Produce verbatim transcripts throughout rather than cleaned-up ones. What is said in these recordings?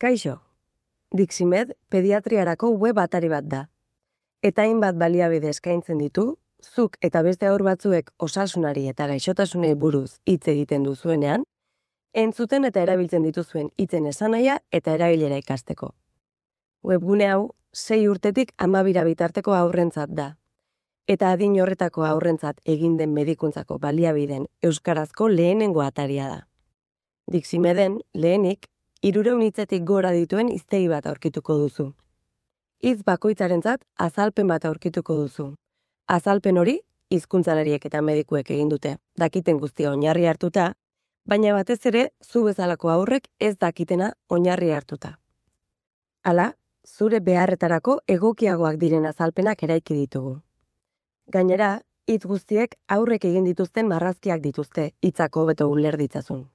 Kaixo, Diximed pediatriarako web atari bat da. Eta hainbat baliabide eskaintzen ditu, zuk eta beste haur batzuek osasunari eta gaixotasunei buruz hitz egiten duzuenean, entzuten eta erabiltzen dituzuen hitzen esanahia eta erabilera ikasteko. Webgune hau sei urtetik hamabira bitarteko haurrentzat da. Eta adin horretako haurrentzat egin den medikuntzako baliabideen euskarazko lehenengo ataria da. Diximeden lehenik hirurehun hitzetik gora dituen hiztegi bat aurkituko duzu. Hitz bakoitzarentzat azalpen bat aurkituko duzu. Azalpen hori hizkuntzalariek eta medikuek egin dute, dakiten guztia oinarri hartuta, baina batez ere zu bezalako haurrek ez dakitena oinarri hartuta. Hala, zure beharretarako egokiagoak diren azalpenak eraiki ditugu. Gainera, hitz guztiek aurrek egin dituzten marrazkiak dituzte, hitzak hobeto uler ditzazun.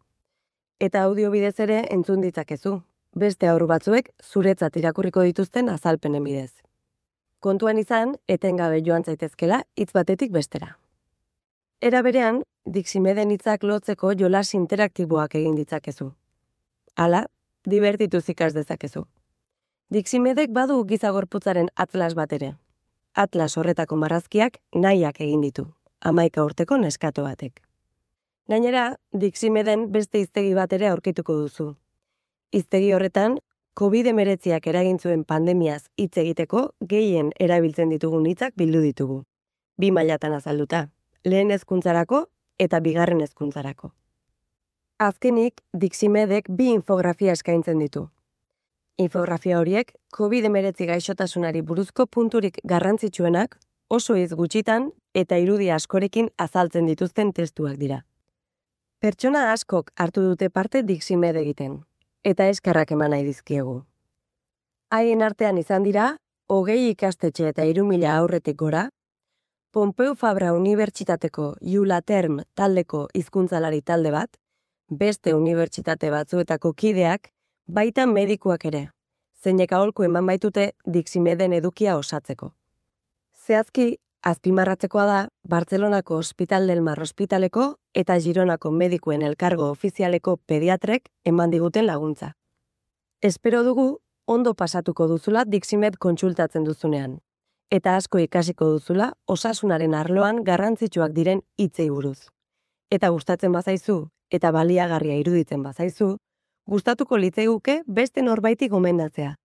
Eta audio bidez ere entzun ditzakezu, beste haur batzuek zuretzat irakurriko dituzten azalpenen bidez. Kontuan izan, etengabe joan zaitezkela hitz batetik bestera. Era berean, Diximeden hitzak lotzeko jolas interaktiboak egin ditzakezu. Hala, dibertituz ikas dezakezu. Diximedek badu giza gorputzaren atlas bat ere. Atlas horretako marrazkiak nahiak egin ditu, hamaika urteko neskato batek. Gainera, Diximeden beste hiztegi bat ere aurkituko duzu. Hiztegi horretan, covid hemeretziak eragin zuen pandemiaz hitz egiteko gehien erabiltzen ditugun hitzak bildu ditugu. Bi mailatan azalduta, lehen hezkuntzarako eta bigarren hezkuntzarako. Azkenik, Diximedek bi infografia eskaintzen ditu. Infografia horiek covid hemeretzi gaixotasunari buruzko punturik garrantzitsuenak oso hitz gutxitan eta irudi askorekin azaltzen dituzten testuak dira. Pertsona askok hartu dute parte Diximed egiten, eta eskerrak eman nahi dizkiegu. Haien artean izan dira, hogei ikastetxe eta hiru mila aurretik gora, Pompeu Fabra Unibertsitateko Iulaterm taldeko hizkuntzalari talde bat, beste unibertsitate batzuetako kideak, baita medikuak ere, zeinek aholku eman baitute Diximeden edukia osatzeko. Zehazki, azpimarratzekoa da, Bartzelonako Hospital del Mar ospitaleko eta Gironako medikuen elkargo ofizialeko pediatrek eman diguten laguntza. Espero dugu, ondo pasatuko duzula Diximed kontsultatzen duzunean, eta asko ikasiko duzula osasunaren arloan garrantzitsuak diren hitzei buruz. Eta gustatzen bazaizu, eta baliagarria iruditzen bazaizu, gustatuko litzaiguke beste norbaiti gomendatzea.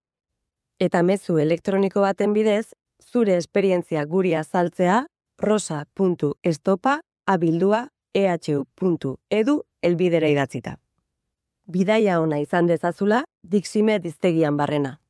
Eta mezu elektroniko baten bidez, zure esperientzia guri azaltzea rosa puntu estopa abildua e h u puntu e d u elbidera idatzita. Bidaia ona izan dezazula Diximed hiztegian barrena.